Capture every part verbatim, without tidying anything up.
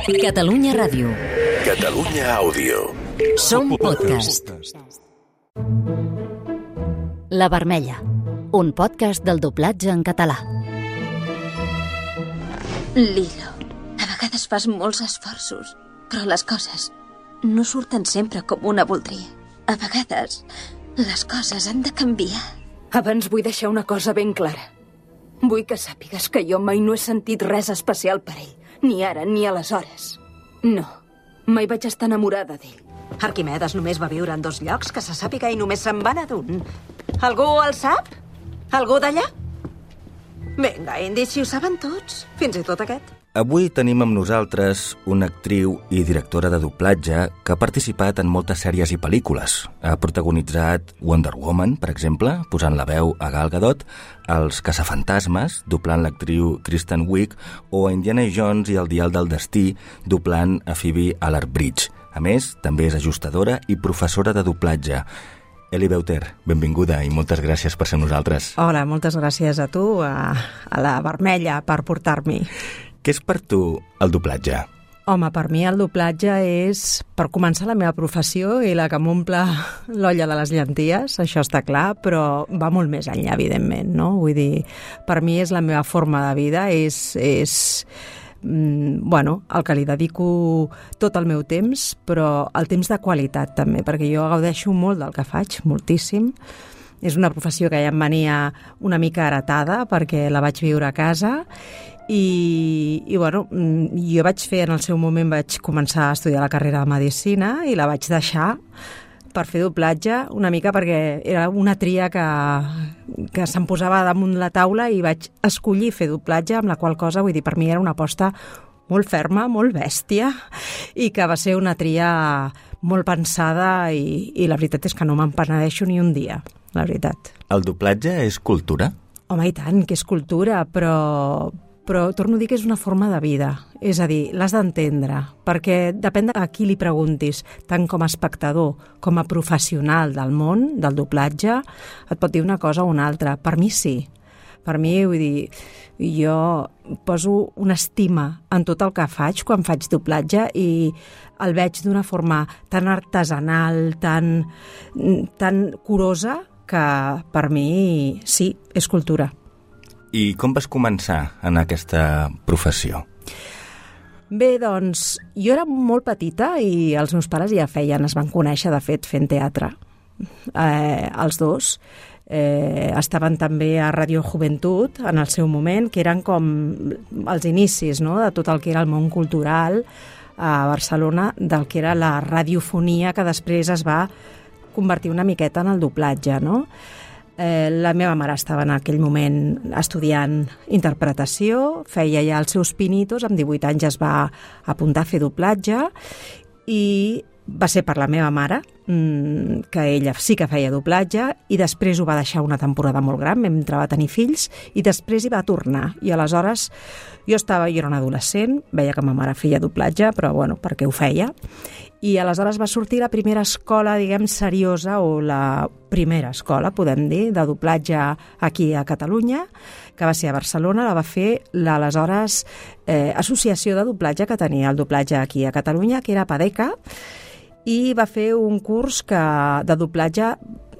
Catalunya Ràdio. Catalunya Àudio. Som podcast. La Vermella, un podcast del doblatge en català. Lilo, a vegades fas molts esforços, però les coses no surten sempre com una voldria. A vegades, les coses han de canviar. Abans vull deixar una cosa ben clara. Vull que sàpigues que jo mai no he sentit res especial per ell. Ni ara, ni aleshores. No, mai vaig estar enamorada d'ell. Arquimedes només va viure en dos llocs, que se sàpiga, i només se'n va anar d'un. Algú el sap? Algú d'allà? Vinga, indis, si ho saben tots. Fins i tot aquest. Avui tenim amb nosaltres una actriu i directora de doblatge que ha participat en moltes sèries i pel·lícules. Ha protagonitzat Wonder Woman, per exemple, posant la veu a Gal Gadot, Els caçafantasmes, doblant l'actriu Kristen Wiig, o a Indiana Jones i el dial del destí, doblant a Phoebe Waller-Bridge. A més, també és ajustadora i professora de doblatge. Eli Beuter, benvinguda i moltes gràcies per ser nosaltres. Hola, moltes gràcies a tu, a, a la Vermella, per portar-m'hi. Què és per tu el doblatge? Home, per mi el doblatge és, per començar, la meva professió i la que m'omple l'olla de les llenties, això està clar, però va molt més enllà, evidentment, no? Vull dir, per mi és la meva forma de vida, és, és mm, bueno, el que li dedico tot el meu temps, però el temps de qualitat també, perquè jo gaudeixo molt del que faig, moltíssim. És una professió que ja em venia una mica heretada, perquè la vaig viure a casa. I, i bueno, jo vaig fer, en el seu moment vaig començar a estudiar la carrera de Medicina i la vaig deixar per fer doblatge, una mica perquè era una tria que, que se'm posava damunt la taula i vaig escollir fer doblatge, amb la qual cosa, vull dir, per mi era una aposta molt ferma, molt bèstia, i que va ser una tria molt pensada i, i la veritat és que no me'n penedeixo ni un dia, la veritat. El doblatge és cultura? Home, i tant, que és cultura, però... però torno a dir que és una forma de vida, és a dir, l'has d'entendre, perquè depèn de a qui li preguntis, tant com a espectador com a professional del món, del doblatge, et pot dir una cosa o una altra. Per mi sí, per mi, vull dir, jo poso una estima en tot el que faig quan faig doblatge i el veig d'una forma tan artesanal, tan, tan curosa, que per mi sí, és cultura. I com vas començar en aquesta professió? Bé, doncs, jo era molt petita i els meus pares ja feien, es van conèixer, de fet, fent teatre. Eh, els dos eh, estaven també a Radio Joventut en el seu moment, que eren com els inicis, no?, de tot el que era el món cultural a Barcelona, del que era la radiofonia, que després es va convertir una miqueta en el doblatge, no? Eh, la meva mare estava en aquell moment estudiant interpretació, feia ja els seus pinitos, amb divuit anys es va apuntar a fer doblatge i va ser per la meva mare, mmm, que ella sí que feia doblatge, i després ho va deixar una temporada molt gran, mentre va tenir fills, i després hi va tornar. I aleshores jo estava, jo era una adolescent, veia que ma mare feia doblatge, però bueno, perquè ho feia, i aleshores va sortir la primera escola, diguem, seriosa, o la primera escola, podem dir, de doblatge aquí a Catalunya, que va ser a Barcelona, la va fer l'aleshores eh, associació de doblatge que tenia el doblatge aquí a Catalunya, que era PADECA, i va fer un curs que, de doblatge,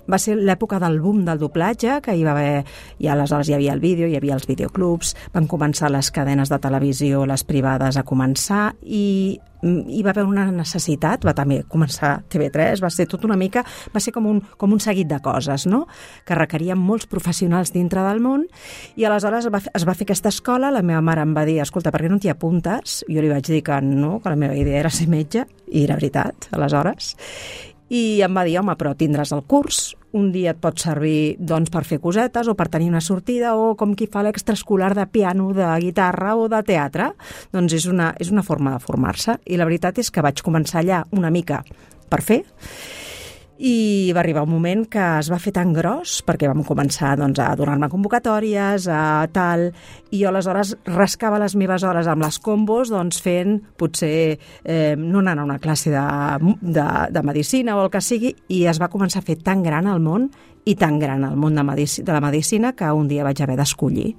va ser l'època del boom del doblatge, que hi va haver, i aleshores hi havia el vídeo, hi havia els videoclubs, van començar les cadenes de televisió, les privades, a començar, i hi va haver una necessitat, va també començar T V tres, va ser tot una mica, va ser com un, com un seguit de coses, no?, que requerien molts professionals dintre del món, i aleshores es va, es va fer aquesta escola, la meva mare em va dir, escolta, per què no t'hi apuntes? Jo li vaig dir que no, que la meva idea era ser metge, i era veritat, aleshores, i em va dir, home, però tindràs el curs, un dia et pot servir doncs, per fer cosetes o per tenir una sortida, o com qui fa l'extraescolar de piano, de guitarra o de teatre. Doncs és una, és una forma de formar-se, i la veritat és que vaig començar allà una mica per fer, i va arribar un moment que es va fer tan gros, perquè vam començar doncs, a donar-me convocatòries, a tal, i jo aleshores rascava les meves hores amb les combos doncs, fent, potser, eh, no anant a una classe de, de, de medicina o el que sigui, i es va començar a fer tan gran el món, i tan gran el món de, medici, de la medicina, que un dia vaig haver d'escollir.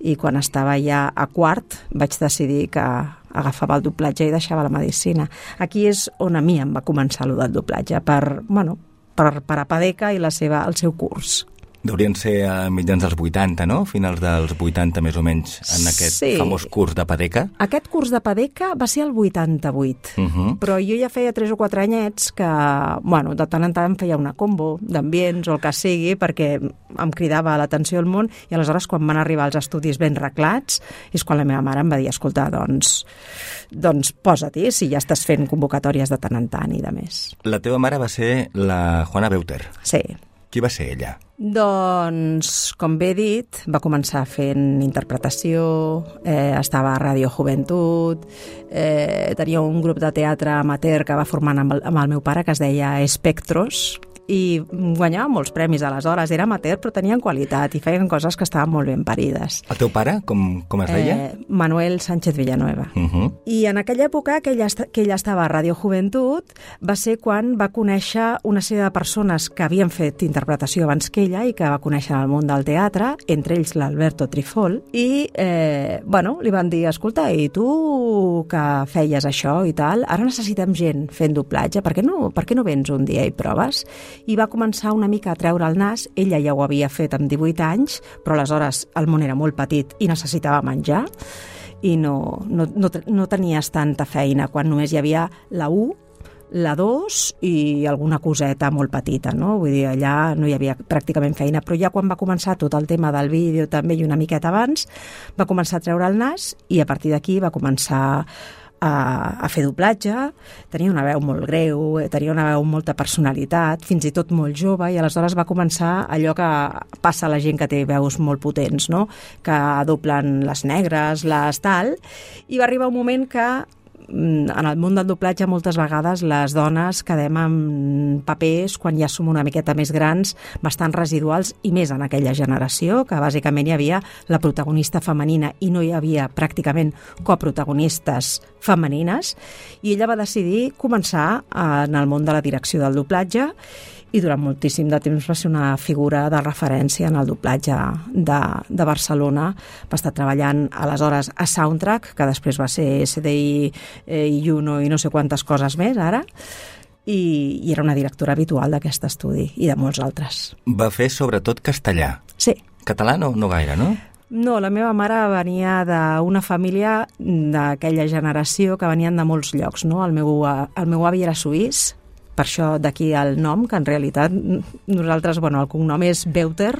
I quan estava ja a quart vaig decidir que agafava el doblatge i deixava la medicina. Aquí és on a mi em va començar allò del doblatge, per, bueno, per, per Apadeca i la seva, el seu curs. Deurien ser a mitjans dels vuitanta, no? Finals dels vuitanta, més o menys, en aquest sí. famós curs d'Apadeca. Aquest curs d'Apadeca va ser el vuitanta-vuit, uh -huh. però jo ja feia tres o quatre anyets que, bueno, de tant en tant feia una combo d'ambients o el que sigui, perquè em cridava l'atenció al món, i aleshores quan van arribar els estudis ben reglats és quan la meva mare em va dir, escolta, doncs, doncs posa-t'hi, si ja estàs fent convocatòries de tant en tant i de més. La teva mare va ser la Juana Beuter. Sí. Qui va ser ella? Doncs, com bé he dit, va començar fent interpretació, eh, estava a Ràdio Joventut, eh, tenia un grup de teatre amateur que va formant amb el, amb el meu pare, que es deia Espectros, i guanyava molts premis aleshores. Era amateur, però tenien qualitat i feien coses que estaven molt ben parides. El teu pare, com, com es deia? Eh, Manuel Sánchez Villanueva. Uh -huh. I en aquella època que ella, que ella estava a Ràdio Joventut va ser quan va conèixer una sèrie de persones que havien fet interpretació abans que ella i que va conèixer en el món del teatre, entre ells l'Alberto Trifol, i eh, bueno, li van dir, escolta, i tu que feies això i tal, ara necessitem gent fent doblatge, per què no, per què no vens un dia i proves? I va començar una mica a treure el nas. Ella ja ho havia fet amb divuit anys, però aleshores el món era molt petit i necessitava menjar i no, no, no, no tenies tanta feina quan només hi havia la u, la dos i alguna coseta molt petita, no? Vull dir, allà no hi havia pràcticament feina, però ja quan va començar tot el tema del vídeo també i una miqueta abans, va començar a treure el nas i a partir d'aquí va començar a, a fer doblatge. Tenia una veu molt greu, tenia una veu amb molta personalitat, fins i tot molt jove, i aleshores va començar allò que passa a la gent que té veus molt potents, no? Que doblen les negres, les tal, i va arribar un moment que en el món del doblatge moltes vegades les dones quedem amb papers, quan ja som una miqueta més grans, bastant residuals, i més en aquella generació, que bàsicament hi havia la protagonista femenina i no hi havia pràcticament coprotagonistes femenines, i ella va decidir començar en el món de la direcció del doblatge, i durant moltíssim de temps va ser una figura de referència en el doblatge de, de Barcelona. Va estar treballant aleshores a Soundtrack, que després va ser S D I eh, i Juno i no sé quantes coses més ara, i, i era una directora habitual d'aquest estudi i de molts altres. Va fer sobretot castellà. Sí. Català no, no gaire, no? No, la meva mare venia d'una família d'aquella generació que venien de molts llocs, no? El meu, el meu avi era suís, per això d'aquí el nom, que en realitat nosaltres, bueno, el cognom és Beuter,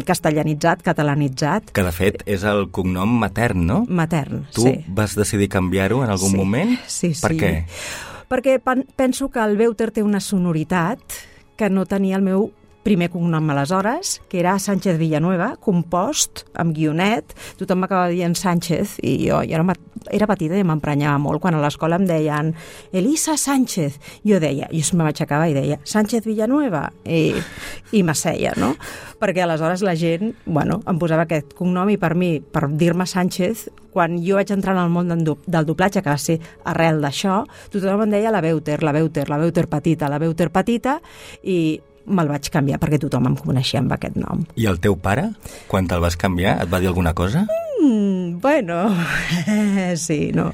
castellanitzat, catalanitzat. Que de fet és el cognom matern, no? Matern, tu sí. Tu vas decidir canviar-ho en algun sí, moment? Sí, sí. Per què? Perquè penso que el Beuter té una sonoritat que no tenia el meu primer cognom aleshores, que era Sánchez Villanueva, compost, amb guionet. Tothom m'acaba dient Sánchez, i jo, jo era, era petita i m'emprenyava molt. Quan a l'escola em deien Elisa Sánchez, jo deia, jo me m'aixecava i deia Sánchez Villanueva, i, i m'asseia, no? Perquè aleshores la gent, bueno, em posava aquest cognom, i per mi, per dir-me Sánchez, quan jo vaig entrar en el món del doblatge, que va ser arrel d'això, tothom em deia la Beuter, la Beuter, la Beuter petita, la Beuter petita, i me'l vaig canviar perquè tothom em coneixia amb aquest nom. I el teu pare, quan te'l vas canviar, et va dir alguna cosa? Mm, bueno, sí, no.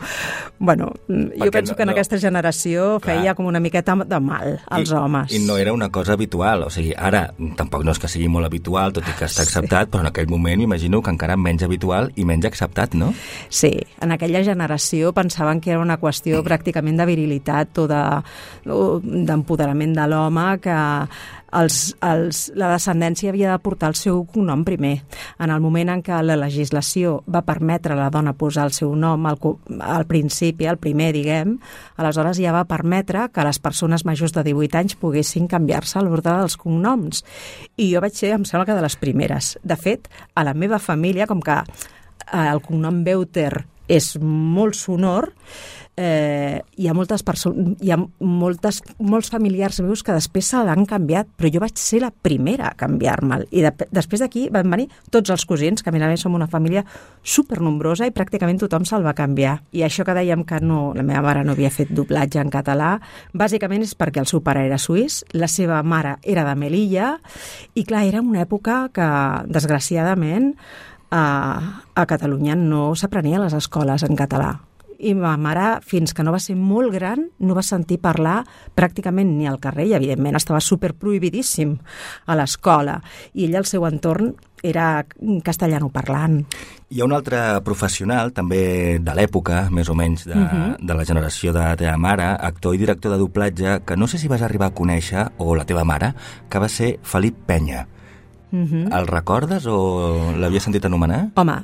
Bueno, perquè jo penso no, que en no, aquesta generació clar. feia com una miqueta de mal als I, homes. I no era una cosa habitual, o sigui, ara tampoc no és que sigui molt habitual, tot i que està acceptat, sí. Però en aquell moment m'imagino que encara menys habitual i menys acceptat, no? Sí, en aquella generació pensaven que era una qüestió pràcticament de virilitat o d'empoderament de, de l'home, que els, els, la descendència havia de portar el seu cognom primer. En el moment en què la legislació va permetre a la dona posar el seu nom al, al principi, al primer, diguem, aleshores ja va permetre que les persones majors de divuit anys poguessin canviar-se a l'ordre dels cognoms. I jo vaig ser, em sembla que de les primeres. De fet, a la meva família, com que el cognom Beuter és molt sonor, Eh, hi ha moltes persones, hi ha moltes, molts familiars meus que després se l'han canviat, però jo vaig ser la primera a canviar-me'l, i de, després d'aquí van venir tots els cosins, que a més a més som una família supernombrosa i pràcticament tothom se'l va canviar. I això que dèiem que no, la meva mare no havia fet doblatge en català, bàsicament és perquè el seu pare era suís, la seva mare era de Melilla, i clar, era una època que, desgraciadament, a, a Catalunya no s'aprenia a les escoles en català. i ma mare, fins que no va ser molt gran, no va sentir parlar pràcticament ni al carrer, i evidentment estava superprohibidíssim a l'escola, i ella, el seu entorn, era castellanoparlant. Hi ha un altre professional, també de l'època, més o menys, de, uh-huh. de la generació de la teva mare, actor i director de doblatge, que no sé si vas arribar a conèixer, o la teva mare, que va ser Felip Penya. Uh-huh. El recordes o l'havia sentit anomenar? Home,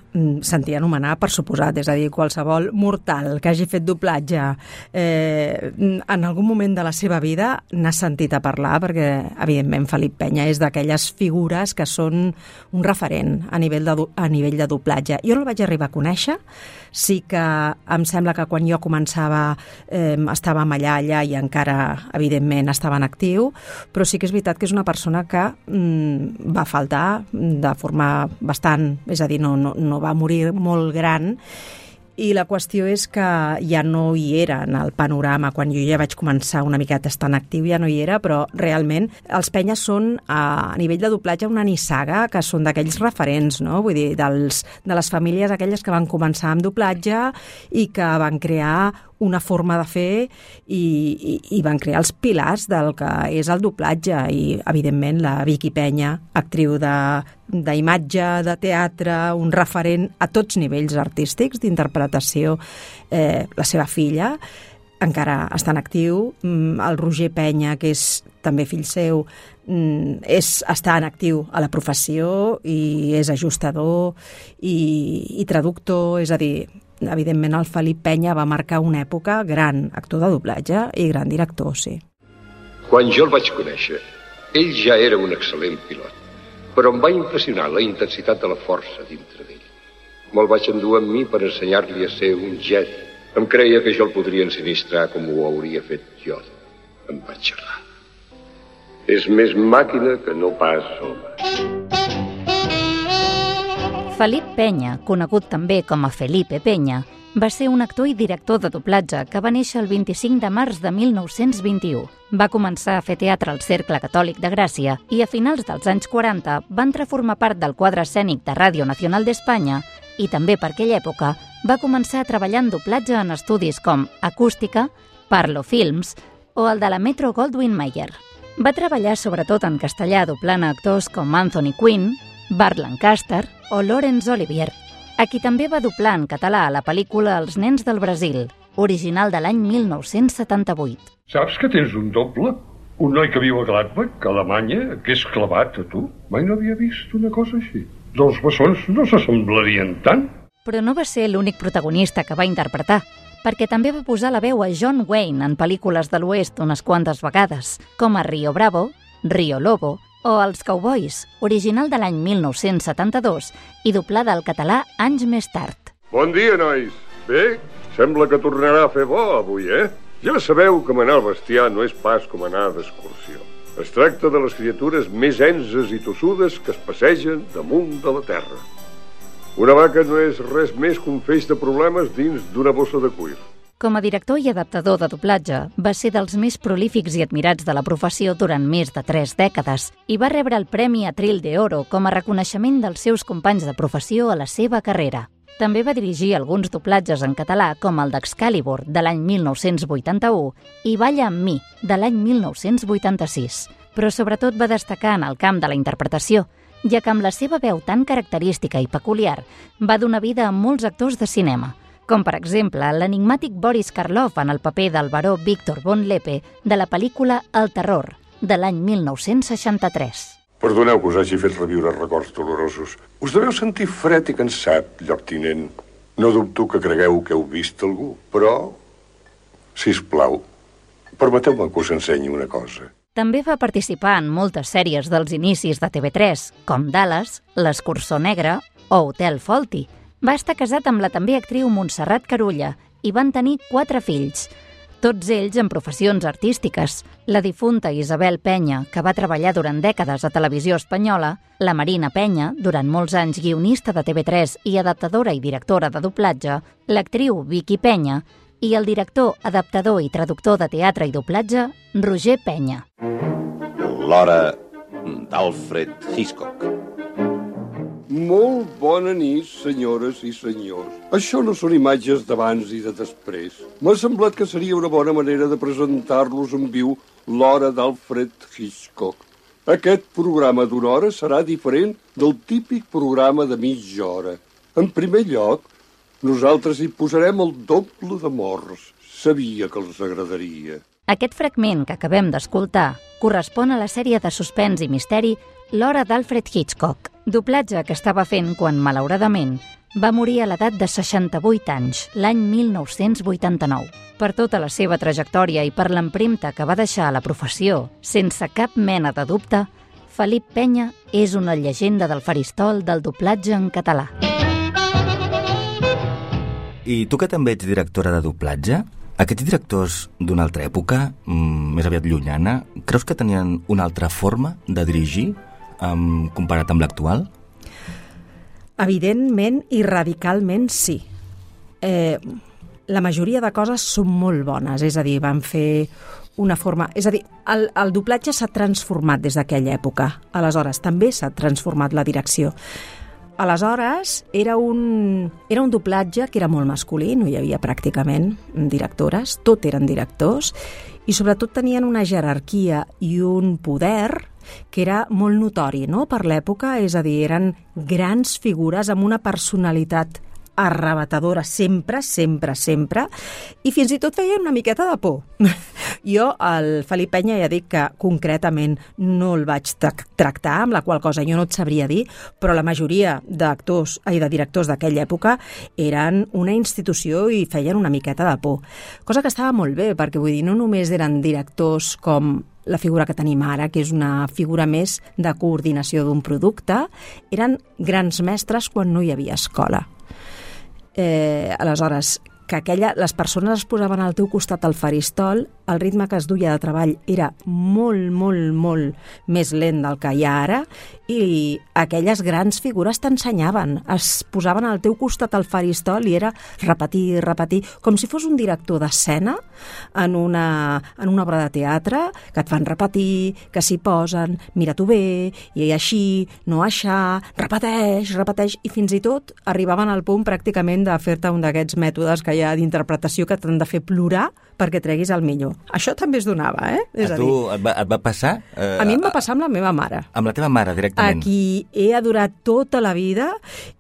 sentia anomenar, per suposat, és a dir, qualsevol mortal que hagi fet doblatge eh, en algun moment de la seva vida n'ha sentit a parlar, perquè, evidentment, Felip Penya és d'aquelles figures que són un referent a nivell de, a nivell de doblatge. Jo no el vaig arribar a conèixer, sí que em sembla que quan jo començava eh, estàvem allà, allà i encara, evidentment, estava en actiu, però sí que és veritat que és una persona que mm, va faltar de forma bastant, és a dir, no, no, no va morir molt gran, i la qüestió és que ja no hi era en el panorama. Quan jo ja vaig començar una miqueta a estar en actiu ja no hi era, però realment els Penyes són a, a nivell de doblatge una nissaga que són d'aquells referents, no? Vull dir, dels, de les famílies aquelles que van començar amb doblatge i que van crear una forma de fer i, i, i van crear els pilars del que és el doblatge, i evidentment la Vicky Penya, actriu de d'imatge, de teatre, un referent a tots nivells artístics, d'interpretació, eh, la seva filla encara està en actiu, el Roger Penya, que és també fill seu, és, està en actiu a la professió i és ajustador i, i traductor, és a dir, evidentment el Felip Penya va marcar una època, gran actor de doblatge i gran director, sí. Quan jo el vaig conèixer, ell ja era un excel·lent pilot, però em va impressionar la intensitat de la força dintre d'ell. Me'l vaig endur amb mi per ensenyar-li a ser un Jedi. Em creia que jo el podria ensinistrar com ho hauria fet jo. Em vaig xerrar. És més màquina que no pas home. Felip Penya, conegut també com a Felipe Penya, va ser un actor i director de doblatge que va néixer el vint-i-cinc de març de mil nou-cents vint-i-u. Va començar a fer teatre al Cercle Catòlic de Gràcia i a finals dels anys quaranta va entrar a formar part del quadre escènic de Ràdio Nacional d'Espanya i també per aquella època va començar a treballar en doblatge en estudis com Acústica, Parlo Films o el de la Metro Goldwyn Mayer. Va treballar sobretot en castellà doblant a actors com Anthony Quinn, Burt Lancaster o Laurence Olivier, a qui també va doblar en català a la pel·lícula Els nens del Brasil, original de l'any mil nou-cents setanta-vuit. Saps que tens un doble? Un noi que viu a Gladbach, a Alemanya, que és clavat a tu. Mai no havia vist una cosa així. Els bessons no s'assemblarien tant. Però no va ser l'únic protagonista que va interpretar, perquè també va posar la veu a John Wayne en pel·lícules de l'Oest unes quantes vegades, com a Rio Bravo, Rio Lobo o Els Cowboys, original de l'any mil nou-cents setanta-dos i doblada al català anys més tard. Bon dia, nois. Bé, sembla que tornarà a fer bo avui, eh? Ja sabeu que manar el bestiar no és pas com anar d'excursió. Es tracta de les criatures més enses i tossudes que es passegen damunt de la terra. Una vaca no és res més que un feix de problemes dins d'una bossa de cuir. Com a director i adaptador de doblatge, va ser dels més prolífics i admirats de la professió durant més de tres dècades i va rebre el Premi Atril de Oro com a reconeixement dels seus companys de professió a la seva carrera. També va dirigir alguns doblatges en català com el d'Excalibur, de l'any mil nou-cents vuitanta-u, i Balla amb mi, de l'any mil nou-cents vuitanta-sis. Però sobretot va destacar en el camp de la interpretació, ja que amb la seva veu tan característica i peculiar va donar vida a molts actors de cinema, com per exemple l'enigmàtic Boris Karloff en el paper del baró Víctor von Lepe de la pel·lícula El terror, de l'any mil nou-cents seixanta-tres. Perdoneu que us hagi fet reviure records dolorosos. Us deveu sentir fred i cansat, lloctinent. No dubto que cregueu que heu vist algú, però, sisplau, permeteu-me que us ensenyi una cosa. També va participar en moltes sèries dels inicis de T V tres, com Dallas, L'escurçó negre o Hotel Fawlty. Va estar casat amb la també actriu Montserrat Carulla i van tenir quatre fills, tots ells en professions artístiques. La difunta Isabel Penya, que va treballar durant dècades a Televisió Espanyola, la Marina Penya, durant molts anys guionista de T V tres i adaptadora i directora de doblatge, l'actriu Vicky Penya i el director, adaptador i traductor de teatre i doblatge, Roger Penya. L'hora d'Alfred Hitchcock. Molt bona nit, senyores i senyors. Això no són imatges d'abans i de després. M'ha semblat que seria una bona manera de presentar-los en viu l'hora d'Alfred Hitchcock. Aquest programa d'una hora serà diferent del típic programa de mitja hora. En primer lloc, nosaltres hi posarem el doble de morts. Sabia que els agradaria. Aquest fragment que acabem d'escoltar correspon a la sèrie de suspens i misteri L'hora d'Alfred Hitchcock, doblatge que estava fent quan, malauradament, va morir a l'edat de seixanta-vuit anys, l'any mil nou-cents vuitanta-nou. Per tota la seva trajectòria i per l'empremta que va deixar a la professió, sense cap mena de dubte, Felip Penya és una llegenda del faristol del doblatge en català. I tu que també ets directora de doblatge, aquests directors d'una altra època, més aviat llunyana, creus que tenien una altra forma de dirigir um, comparat amb l'actual? Evidentment i radicalment sí. Eh, la majoria de coses són molt bones, és a dir, van fer una forma... És a dir, el, el doblatge s'ha transformat des d'aquella època. Aleshores, també s'ha transformat la direcció. Aleshores, era un, era un doblatge que era molt masculí, no hi havia pràcticament directores, tot eren directors, i sobretot tenien una jerarquia i un poder que era molt notori, no?, per l'època, és a dir, eren grans figures amb una personalitat arrebatadora sempre, sempre, sempre, i fins i tot feien una miqueta de por. Jo, el Felip Penya, ja dic que concretament no el vaig tractar, amb la qual cosa jo no et sabria dir, però la majoria d'actors i de directors d'aquella època eren una institució i feien una miqueta de por. Cosa que estava molt bé, perquè vull dir, no només eren directors com la figura que tenim ara, que és una figura més de coordinació d'un producte, eren grans mestres quan no hi havia escola. Eh, aleshores, que aquella, les persones es posaven al teu costat al faristol, el ritme que es duia de treball era molt, molt, molt més lent del que hi ha ara, i aquelles grans figures t'ensenyaven, es posaven al teu costat al faristol i era repetir, repetir, com si fos un director d'escena en una, en una obra de teatre, que et fan repetir, que s'hi posen, mira-t'ho bé, i així, no aixà, repeteix, repeteix, i fins i tot arribaven al punt pràcticament de fer-te un d'aquests mètodes que hi ha d'interpretació que t'han de fer plorar perquè treguis el millor. Això també es donava, eh? És a, a tu dir, et va, et va passar? Eh, a mi em va passar amb la meva mare. Amb la teva mare, directament? A qui he adorat tota la vida,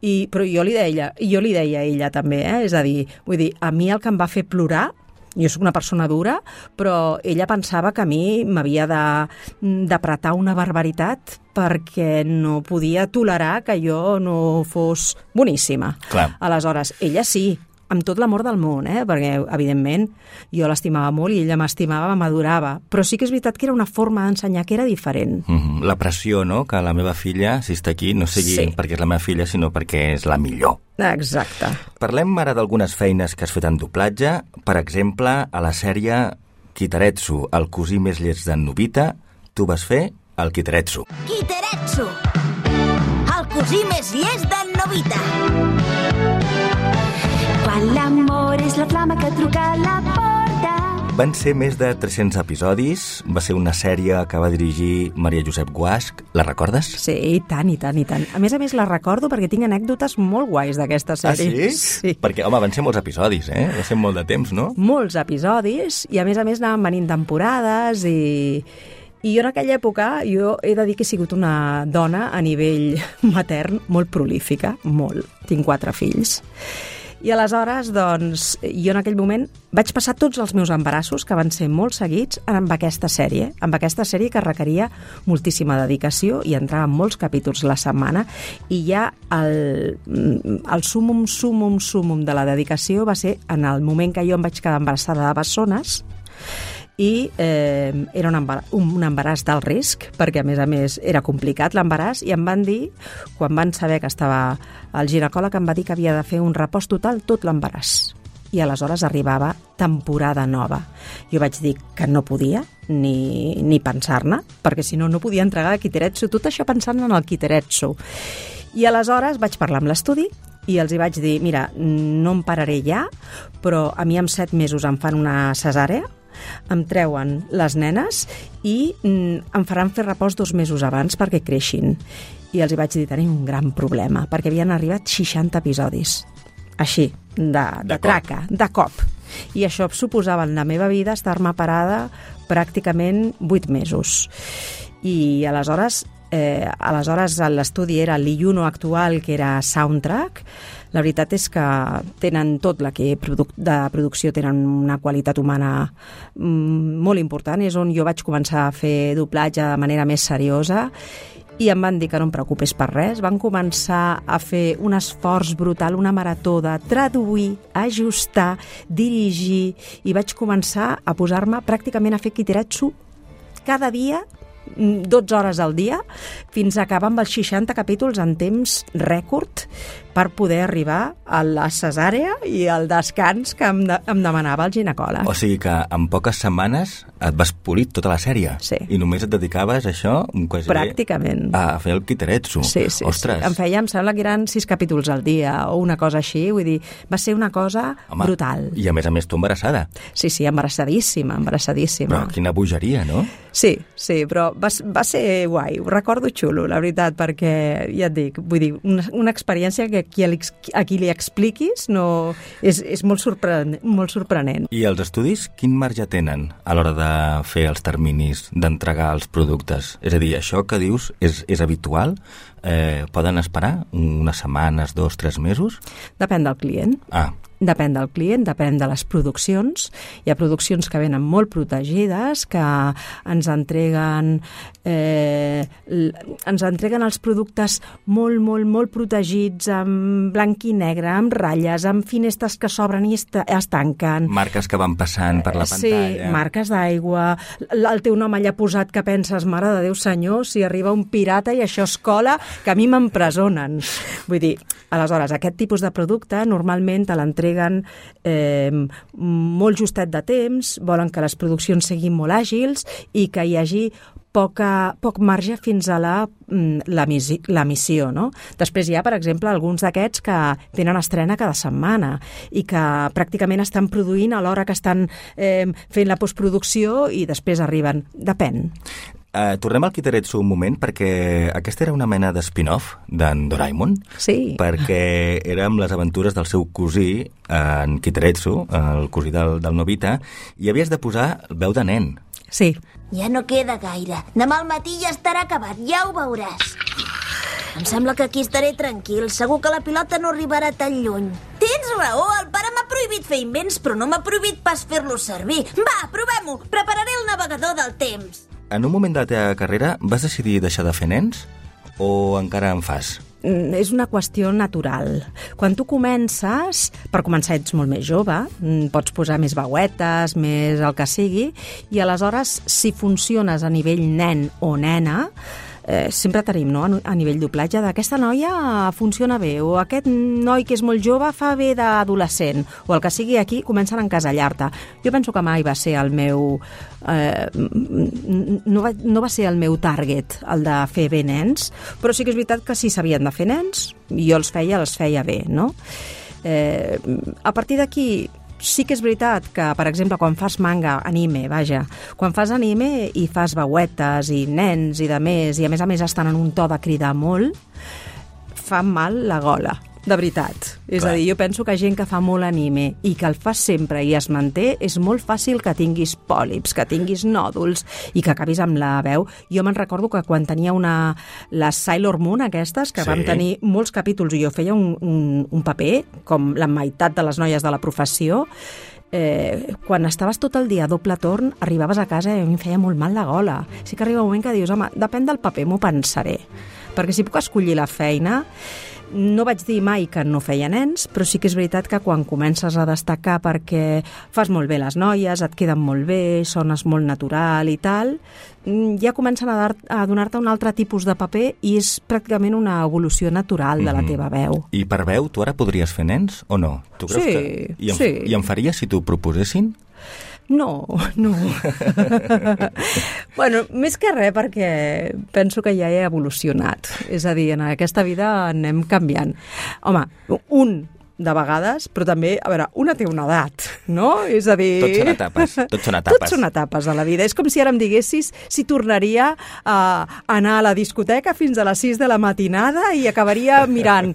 i, però jo li deia, jo li deia a ella també, eh? És a dir, vull dir, a mi el que em va fer plorar, jo soc una persona dura, però ella pensava que a mi m'havia d'apretar una barbaritat perquè no podia tolerar que jo no fos boníssima. Clar. Aleshores, ella sí, amb tot l'amor del món, eh? Perquè, evidentment, jo l'estimava molt i ella m'estimava, m'adorava. Però sí que és veritat que era una forma d'ensenyar que era diferent. Mm-hmm. La pressió, no?, que la meva filla, si està aquí, no sigui sí. perquè és la meva filla, sinó perquè és la millor. Exacte. Parlem ara d'algunes feines que has fet en doblatge. Per exemple, a la sèrie Kitaretsu, el cosí més llest d'en Nobita, tu vas fer el Kitaretsu. Kitaretsu, el cosí més llest d'en Nobita. Quan l'amor és la flama que truca a la porta. Van ser més de tres-cents episodis, va ser una sèrie que va dirigir Maria Josep Guasch, la recordes? Sí, i tant, i tant, i tant. A més a més la recordo perquè tinc anècdotes molt guais d'aquesta sèrie. Ah, sí? Sí. Perquè, home, van ser molts episodis, eh? Va ser molt de temps, no? Molts episodis, i a més a més anaven venint temporades, i... I jo en aquella època, jo he de dir que he sigut una dona a nivell matern molt prolífica, molt. Tinc quatre fills. I aleshores, doncs, jo en aquell moment vaig passar tots els meus embarassos, que van ser molt seguits, amb aquesta sèrie, amb aquesta sèrie que requeria moltíssima dedicació i entrava en molts capítols la setmana, i ja el, el súmum, súmum, súmum de la dedicació va ser en el moment que jo em vaig quedar embarassada de bessones, i eh, era un embaràs, un embaràs d'alt risc, perquè a més a més era complicat l'embaràs, i em van dir, quan van saber que estava el ginecòleg, em va dir que havia de fer un repòs total tot l'embaràs, i aleshores arribava temporada nova. Jo vaig dir que no podia ni, ni pensar-ne, perquè si no, no podia entregar el Kitaretsu, tot això pensant en el Kitaretsu. I aleshores vaig parlar amb l'estudi i els hi vaig dir, mira, no em pararé ja, però a mi amb set mesos em fan una cesàrea, em treuen les nenes i em faran fer repòs dos mesos abans perquè creixin. i els hi vaig dir, tenim un gran problema, perquè havien arribat seixanta episodis, així, de, de, de traca, de cop. I això suposava en la meva vida estar-me parada pràcticament vuit mesos. I aleshores, eh, aleshores l'estudi era l'I U N O actual, que era Soundtrack. La veritat és que tenen tot l'equip de producció, tenen una qualitat humana molt important. És on jo vaig començar a fer doblatge de manera més seriosa i em van dir que no em preocupés per res. Van començar a fer un esforç brutal, una marató de traduir, ajustar, dirigir, i vaig començar a posar-me pràcticament a fer kiteretsu cada dia, dotze hores al dia, fins a acabar amb els seixanta capítols en temps rècord per poder arribar a la cesàrea i al descans que em, de, em demanava el ginecòleg. O sigui que en poques setmanes et vas polir tota la sèrie. Sí. I només et dedicaves a això quasi pràcticament a fer el kiteretsu. Sí, sí, Ostres. Sí. Em feia, em sembla que eren sis capítols al dia o una cosa així, vull dir, va ser una cosa Home, brutal. I a més a més tu embarassada. Sí, sí, embarassadíssima, embarassadíssima. Però quina bogeria, no? Sí, sí, però va, va ser guai, ho recordo xulo, la veritat, perquè, ja et dic, vull dir, una, una experiència que qui, a qui li expliquis no, és, és molt, sorprenent, molt sorprenent. I els estudis, quin marge tenen a l'hora de fer els terminis, d'entregar els productes? És a dir, això que dius és, és habitual? Eh, poden esperar unes setmanes, dos, tres mesos? Depèn del client. Ah, Depèn del client, depèn de les produccions. Hi ha produccions que venen molt protegides, que ens entreguen eh, ens entreguen els productes molt, molt, molt protegits, amb blanc i negre, amb ratlles, amb finestres que s'obren i es, es tanquen. Marques que van passant per la pantalla. Sí, marques d'aigua, el teu nom allà posat que penses, mare de Déu senyor, si arriba un pirata i això es cola, que a mi m'empresonen. Vull dir, aleshores, aquest tipus de producte normalment te l'entrega Eh, molt justet de temps, volen que les produccions siguin molt àgils i que hi hagi poca, poc marge fins a la, l'emissió, no? Després hi ha, per exemple, alguns d'aquests que tenen estrena cada setmana i que pràcticament estan produint a l'hora que estan eh, fent la postproducció i després arriben. Depèn. Uh, tornem al Kiteretsu un moment, perquè aquesta era una mena de spin-off d'en Doraemon. Sí. Perquè era amb les aventures del seu cosí, en Kiteretsu, el cosí del, del Nobita, i havies de posar veu de nen. Sí. Ja no queda gaire. Demà al matí ja estarà acabat, ja ho veuràs. Em sembla que aquí estaré tranquil. Segur que la pilota no arribarà tan lluny. Tens raó, el pare m'ha prohibit fer invents, però no m'ha prohibit pas fer-los servir. Va, provem-ho. Prepararé el navegador del temps. En un moment de la teva carrera vas decidir deixar de fer nens o encara en fas? És una qüestió natural. Quan tu comences, per començar ets molt més jove, pots posar més veuetes, més el que sigui, i aleshores, si funciones a nivell nen o nena, eh, sempre tenim, no?, a nivell doblatge, d'aquesta noia funciona bé, o aquest noi que és molt jove fa bé d'adolescent, o el que sigui, aquí comencen a encasellar-te. Jo penso que mai va ser el meu... Eh, no, va, no va ser el meu target, el de fer bé nens, però sí que és veritat que si s'havien de fer nens, jo els feia, els feia bé, no? Eh, a partir d'aquí, sí que és veritat que, per exemple, quan fas manga, anime, vaja, quan fas anime i fas veuetes i nens i de més, i a més a més estan en un to de cridar molt, fa mal la gola. De veritat. És Clar. a dir, jo penso que gent que fa molt anime i que el fa sempre i es manté, és molt fàcil que tinguis pòlips, que tinguis nòduls i que acabis amb la veu. Jo me'n recordo que quan tenia una... les Sailor Moon aquestes, que sí. vam tenir molts capítols i jo feia un, un, un paper, com la meitat de les noies de la professió, Eh, quan estaves tot el dia a doble torn, arribaves a casa i a mi em feia molt mal la gola. Sí que arriba un moment que dius, home, depèn del paper, m'ho pensaré. Perquè si puc escollir la feina, no vaig dir mai que no feia nens, però sí que és veritat que quan comences a destacar perquè fas molt bé les noies, et queden molt bé, sones molt natural i tal, ja comencen a, dar, a donar-te un altre tipus de paper i és pràcticament una evolució natural de la teva veu. I per veu, tu ara podries fer nens o no? Tu creus sí, que... I en, sí. I en faries si t'ho proposessin? No, no. Bueno, més que res perquè penso que ja he evolucionat. És a dir, en aquesta vida anem canviant. Home, un de vegades, però també, a veure, una té una edat, no? És a dir... Tots són etapes, tots són etapes. Tots són etapes de la vida. És com si ara em diguessis si tornaria a anar a la discoteca fins a les sis de la matinada i acabaria mirant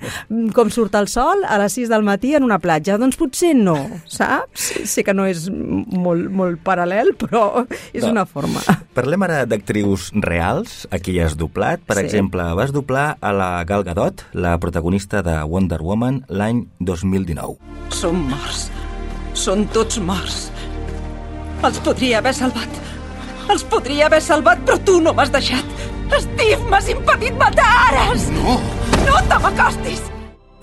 com surt el sol a les sis del matí en una platja. Doncs potser no, saps? Sé que no és molt, molt paral·lel, però és no. una forma. Parlem ara d'actrius reals, a qui has doblat. Per sí. exemple, vas doblar a la Gal Gadot, la protagonista de Wonder Woman, l'any dos mil dinou. Són morts. Són tots morts. Els podria haver salvat. Els podria haver salvat, però tu no m'has deixat. Steve, m'has impedit matar Ares! No! No te m'acostis!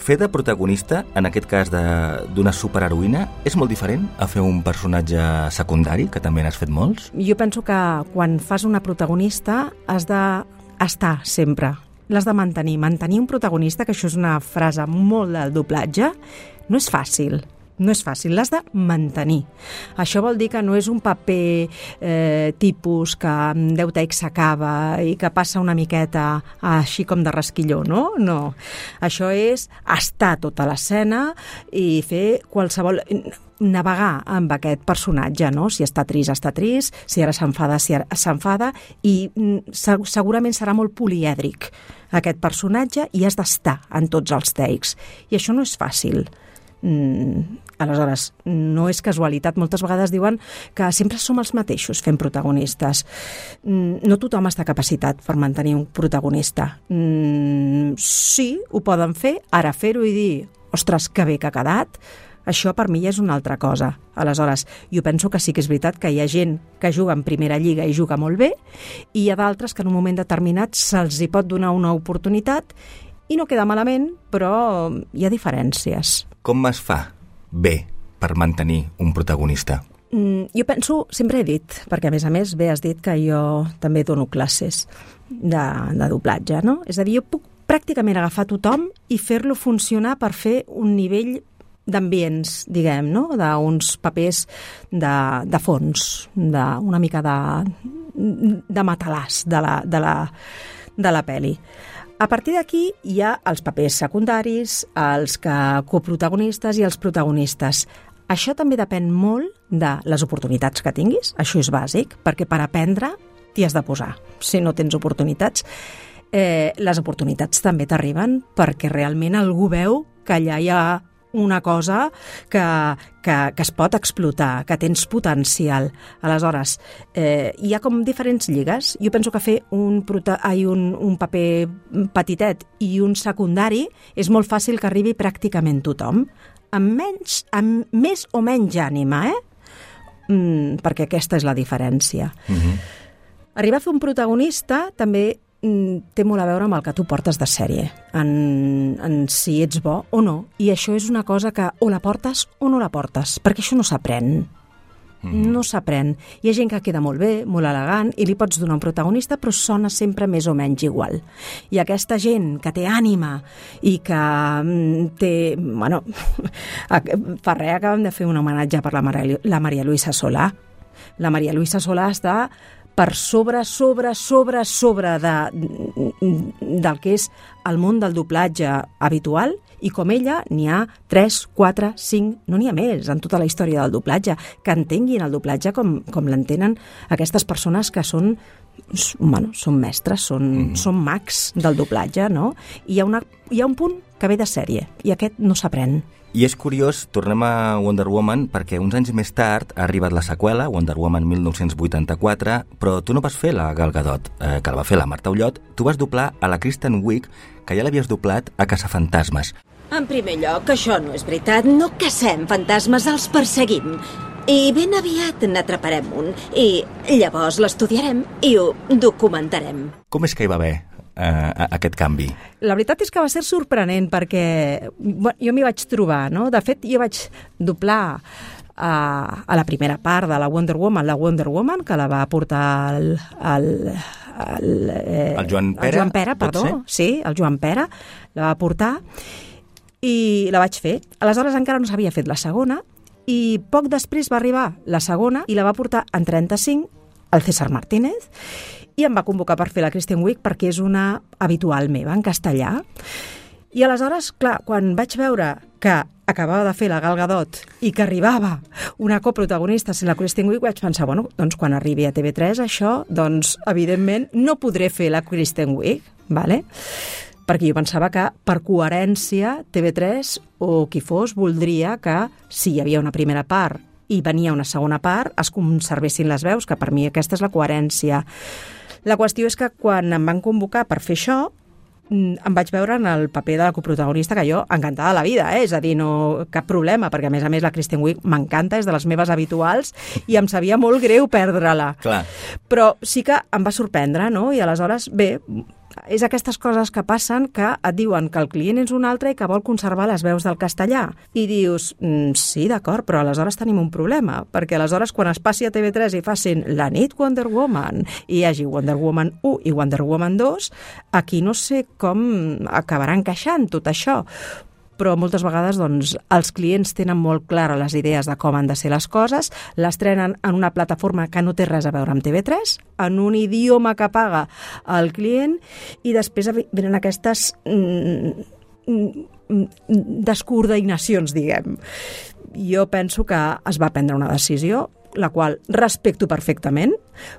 Fer de protagonista, en aquest cas d'una superheroïna, és molt diferent a fer un personatge secundari, que també n'has fet molts? Jo penso que quan fas una protagonista has d'estar sempre. L'has de mantenir. Mantenir un protagonista, que això és una frase molt del doblatge, no és fàcil. No és fàcil, l'has de mantenir. Això vol dir que no és un paper eh, tipus que en deu takes s'acaba i que passa una miqueta així com de rasquilló, no? No. Això és estar tota l'escena i fer qualsevol... navegar amb aquest personatge, no? Si està trist, està trist, si ara s'enfada, si ara s'enfada, i segurament serà molt polièdric aquest personatge i has d'estar en tots els takes. I això no és fàcil. Mm, aleshores, no és casualitat. Moltes vegades diuen que sempre som els mateixos fent protagonistes. Mm, no tothom està capacitat per mantenir un protagonista. Mm, sí, ho poden fer, ara fer-ho i dir, ostres, que bé que ha quedat, això per mi ja és una altra cosa. Aleshores, jo penso que sí que és veritat que hi ha gent que juga en primera lliga i juga molt bé, i hi ha d'altres que en un moment determinat se'ls hi pot donar una oportunitat i no queda malament, però hi ha diferències. Com es fa bé per mantenir un protagonista? Mm, jo penso, sempre he dit, perquè a més a més bé has dit que jo també dono classes de, de doblatge, no? És a dir, jo puc pràcticament agafar tothom i fer-lo funcionar per fer un nivell d'ambients, diguem, no? D'uns papers de, de fons, d'una mica de, de matalàs de la, de la, de la pel·li. A partir d'aquí hi ha els papers secundaris, els que coprotagonistes i els protagonistes. Això també depèn molt de les oportunitats que tinguis, això és bàsic, perquè per aprendre t'hi has de posar. Si no tens oportunitats, eh, les oportunitats també t'arriben perquè realment algú veu que allà hi ha una cosa que, que, que es pot explotar, que tens potencial. Aleshores, eh, hi ha com diferents lligues. Jo penso que fer un, prota, ai, un, un paper petitet i un secundari és molt fàcil que arribi pràcticament tothom, amb, menys, amb més o menys ànima, eh? Mm, perquè aquesta és la diferència. Mm-hmm. Arribar a fer un protagonista també té molt a veure amb el que tu portes de sèrie, en, en si ets bo o no. I això és una cosa que o la portes o no la portes, perquè això no s'aprèn. Mm. No s'aprèn. Hi ha gent que queda molt bé, molt elegant, i li pots donar un protagonista, però sona sempre més o menys igual. I aquesta gent que té ànima i que té... Bueno, fa res acabem de fer un homenatge per la Maria, la Maria Luisa Solà. La Maria Luisa Solà està per sobre, sobre, sobre, sobre de, del que és el món del doblatge habitual, i com ella n'hi ha tres, quatre, cinc, no n'hi ha més en tota la història del doblatge, que entenguin el doblatge com, com l'entenen aquestes persones que són, bueno, són mestres, són, mm. són mags del doblatge, no? I hi ha, una, hi ha un punt que ve de sèrie, i aquest no s'aprèn. I és curiós, tornem a Wonder Woman, perquè uns anys més tard ha arribat la seqüela, Wonder Woman mil nou-cents vuitanta-quatre, però tu no vas fer la Gal Gadot, eh, que la va fer la Marta Ullot, tu vas doblar a la Kristen Wiig, que ja l'havies doblat a Caçafantasmes. En primer lloc, això no és veritat. No caçem fantasmes, els perseguim. I ben aviat n'atraparem un. I llavors l'estudiarem i ho documentarem. Com és que hi va haver Uh, aquest canvi? La veritat és que va ser sorprenent perquè bueno, jo m'hi vaig trobar, no? De fet, jo vaig doblar a, a la primera part de la Wonder Woman, la Wonder Woman, que la va portar el, el, el, eh, el Joan Pera, el Joan Pera perdó, sí, el Joan Pera, la va portar i la vaig fer. Aleshores encara no s'havia fet la segona i poc després va arribar la segona i la va portar en trenta-cinc el César Martínez, i em va convocar per fer la Kristen Wiig perquè és una habitual meva en castellà. I aleshores, clar, quan vaig veure que acabava de fer la Gal Gadot i que arribava una coprotagonista sent la Kristen Wiig, vaig pensar, bueno, doncs quan arribi a T V tres això, doncs evidentment no podré fer la Kristen Wiig, vale? Perquè jo pensava que per coherència T V tres o qui fos voldria que si hi havia una primera part i venia una segona part es conservessin les veus, que per mi aquesta és la coherència. La qüestió és que quan em van convocar per fer això em vaig veure en el paper de la coprotagonista, que jo encantada de la vida, eh? És a dir, no cap problema, perquè a més a més la Kristen Wiig m'encanta, és de les meves habituals i em sabia molt greu perdre-la. Clar. Però sí que em va sorprendre, no? I aleshores, bé, és aquestes coses que passen que et diuen que el client és un altre i que vol conservar les veus del castellà. I dius, mm, sí, d'acord, però aleshores tenim un problema, perquè aleshores quan es passi a T V tres i facin la nit Wonder Woman i hi hagi Wonder Woman u i Wonder Woman dos, aquí no sé com acabarà encaixant tot això. Però moltes vegades doncs, els clients tenen molt clares les idees de com han de ser les coses, l'estrenen en una plataforma que no té res a veure amb T V tres, en un idioma que paga el client, i després venen aquestes mm, descoordinacions, diguem. Jo penso que es va prendre una decisió, la qual respecto perfectament,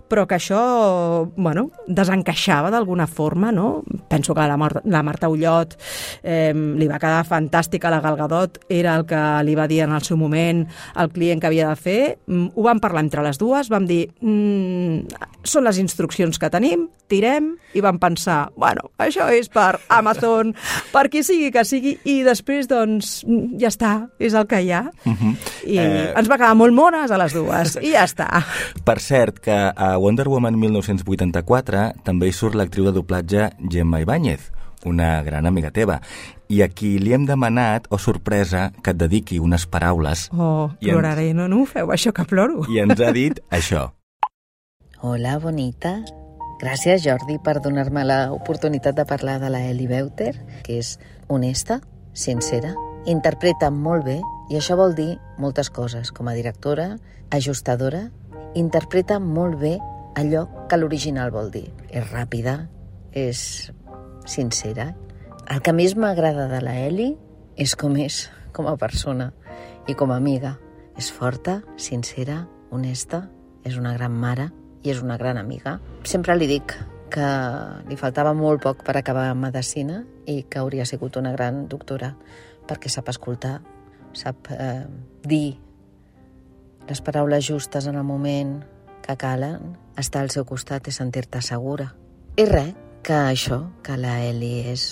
però que això, bueno, desencaixava d'alguna forma, no? Penso que la, Mar la Marta Ullot eh, li va quedar fantàstica, la Gal Gadot era el que li va dir en el seu moment al client que havia de fer, mm, ho vam parlar entre les dues, vam dir, mm, són les instruccions que tenim, tirem, i vam pensar, bueno, això és per Amazon, per qui sigui que sigui, i després, doncs, ja està, és el que hi ha. Uh-huh. I eh... ens va quedar molt mones a les dues, i ja està. Per cert, que a Wonder Woman mil nou-cents vuitanta-quatre també hi surt l'actriu de doblatge Gemma Ibáñez, una gran amiga teva, i a qui li hem demanat, oh sorpresa, que et dediqui unes paraules. Oh, ploraré, ens... no, no ho feu, això que ploro. I ens ha dit això. Hola, bonita. Gràcies, Jordi, per donar-me l'oportunitat de parlar de la Ellie Beuter, que és honesta, sincera, interpreta molt bé, i això vol dir moltes coses, com a directora, ajustadora, interpreta molt bé allò que l'original vol dir. És ràpida, és sincera. El que més m'agrada de la Ellie és com és, com a persona i com a amiga. És forta, sincera, honesta, és una gran mare i és una gran amiga. Sempre li dic que li faltava molt poc per acabar medicina i que hauria sigut una gran doctora, perquè sap escoltar, sap eh, dir les paraules justes en el moment que calen, estar al seu costat i sentir-te segura. I res, que això, que la Ellie és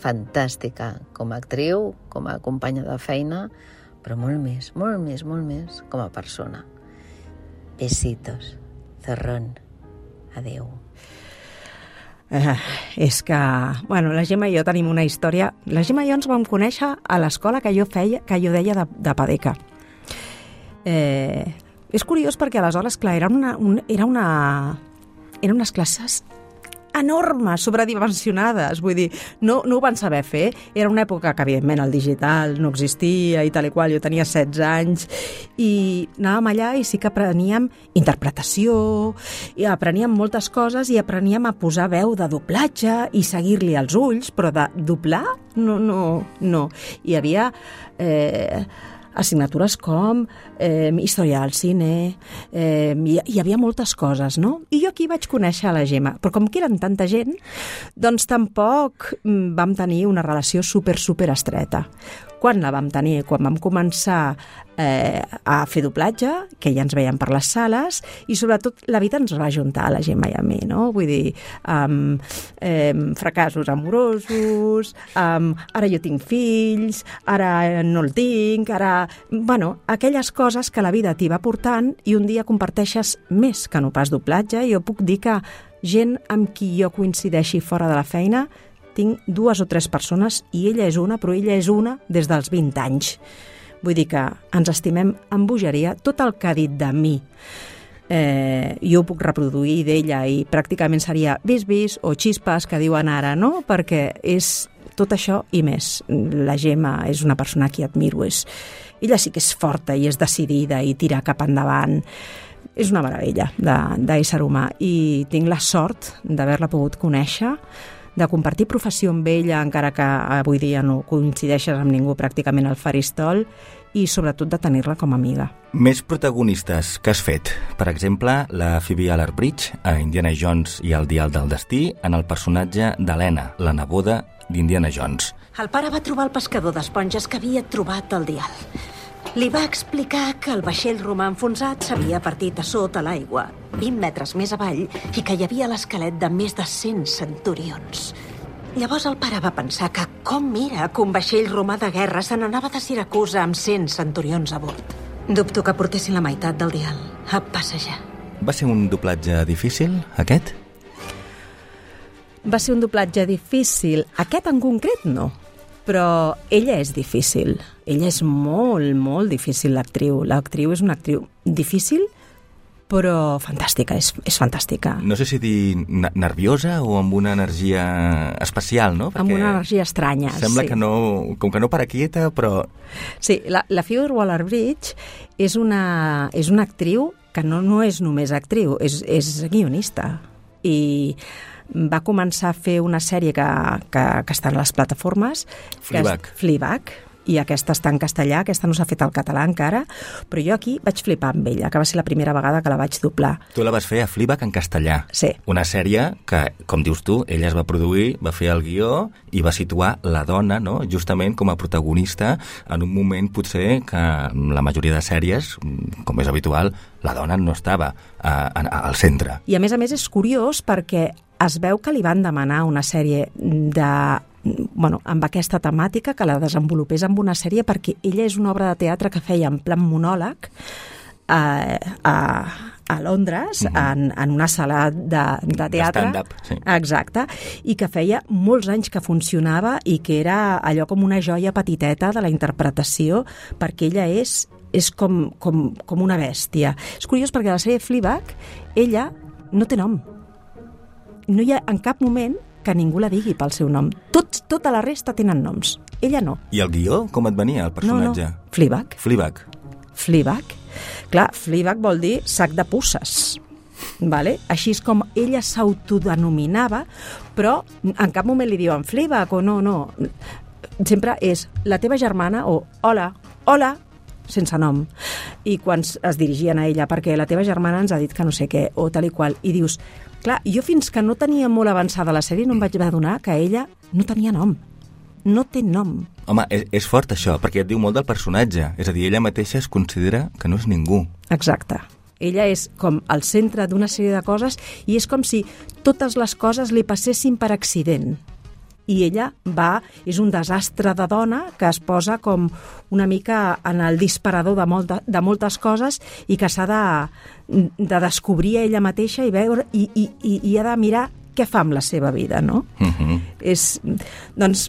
fantàstica com a actriu, com a companya de feina, però molt més, molt més, molt més com a persona. Besitos, zorrón, adeu. Eh, és que, bueno, la Gemma i jo tenim una història. La Gemma i jo ens vam conèixer a l'escola que jo feia, que jo deia de, de Padeca. Eh, és curiós perquè aleshores, clar, era una, un, era una, eren unes classes enormes, sobredimensionades, vull dir, no, no ho van saber fer. Era una època que, evidentment, el digital no existia i tal i qual, jo tenia setze anys, i anàvem allà i sí que apreníem interpretació, i apreníem moltes coses, i apreníem a posar veu de doblatge i seguir-li els ulls, però de doblar, no, no, no. Hi havia... Eh, assignatures com eh, història del cine, eh, hi, hi havia moltes coses, no? I jo aquí vaig conèixer a la Gemma, però com que eren tanta gent, doncs tampoc vam tenir una relació super, super estreta. Quan la vam tenir? Quan vam començar eh, a fer doblatge, que ja ens veiem per les sales, i sobretot la vida ens va ajuntar a la Gemma i a mi, no? Vull dir, um, eh, fracassos amorosos, um, ara jo tinc fills, ara no el tinc, ara... Bueno, aquelles coses que la vida t'hi va portant i un dia comparteixes més que no pas doblatge. Jo puc dir que gent amb qui jo coincideixi fora de la feina tinc dues o tres persones i ella és una, però ella és una des dels vint anys. Vull dir que ens estimem amb bogeria tot el que ha dit de mi. Eh, jo puc reproduir d'ella i pràcticament seria vis-vis o xispes que diuen ara, no? Perquè és tot això i més. La Gemma és una persona a qui admiro. És... Ella sí que és forta i és decidida i tira cap endavant. És una meravella d'ésser humà i tinc la sort d'haver-la pogut conèixer, de compartir professió amb ella, encara que avui dia no coincideixes amb ningú pràcticament al faristol, i sobretot de tenir-la com a amiga. Més protagonistes que has fet. Per exemple, la Phoebe Waller-Bridge a Indiana Jones i el dial del destí en el personatge d'Helena, la neboda d'Indiana Jones. El pare va trobar el pescador d'esponges que havia trobat al dial. Li va explicar que el vaixell romà enfonsat s'havia partit a sota l'aigua, vint metres més avall, i que hi havia l'esquelet de més de cent centurions. Llavors el pare va pensar que com era que un vaixell romà de guerra se n'anava de Siracusa amb cent centurions a bord. Dubto que portessin la meitat del dial a passejar. Va ser un doblatge difícil, aquest? Va ser un doblatge difícil. Aquest en concret no. Però ella és difícil. Ella és molt, molt difícil, l'actriu. L'actriu és una actriu difícil, però fantàstica, és, és fantàstica. No sé si dir nerviosa o amb una energia especial, no? Perquè amb una energia estranya, sembla sí. que no, com que no para quieta, però... Sí, la, la Phoebe Waller-Bridge és una, és una actriu que no, no és només actriu, és, és guionista. I va començar a fer una sèrie que, que, que està en les plataformes. Fleabag. Fleabag. I aquesta està en castellà, aquesta no s'ha fet al català encara, però jo aquí vaig flipar amb ella, que va ser la primera vegada que la vaig doblar. Tu la vas fer a Fleabag en castellà. Sí. Una sèrie que, com dius tu, ella es va produir, va fer el guió i va situar la dona, no?, justament com a protagonista en un moment potser que la majoria de sèries, com és habitual, la dona no estava a, a, al centre. I a més a més és curiós perquè es veu que li van demanar una sèrie de... bueno, amb aquesta temàtica, que la desenvolupés amb una sèrie, perquè ella és una obra de teatre que feia en plan monòleg a, a, a Londres, uh-huh. en, en una sala de, de teatre. De stand-up, sí. Exacte, i que feia molts anys que funcionava i que era allò com una joia petiteta de la interpretació, perquè ella és, és com, com, com una bèstia. És curiós perquè a la sèrie Fleabag ella no té nom. No hi ha en cap moment que ningú la digui pel seu nom. Tots, tota la resta tenen noms. Ella no. I el guió, com et venia, el personatge? No, no. Fleabag. Fleabag. Fleabag. Clar, Fleabag vol dir sac de puces. Vale? Així és com ella s'autodenominava, però en cap moment li diuen Fleabag o no, no. Sempre és la teva germana o hola, hola, sense nom. I quan es dirigien a ella, perquè la teva germana ens ha dit que no sé què, o tal i qual, i dius... Clar, jo fins que no tenia molt avançada la sèrie no em vaig adonar que ella no tenia nom. No té nom. Home, és, és fort això, perquè et diu molt del personatge. És a dir, ella mateixa es considera que no és ningú. Exacte. Ella és com al centre d'una sèrie de coses i és com si totes les coses li passessin per accident. I ella va, és un desastre de dona que es posa com una mica en el disparador de, molt de, de moltes coses i que s'ha de, de descobrir ella mateixa i veure i, i, i, i ha de mirar què fa amb la seva vida, no? Uh-huh. És, doncs,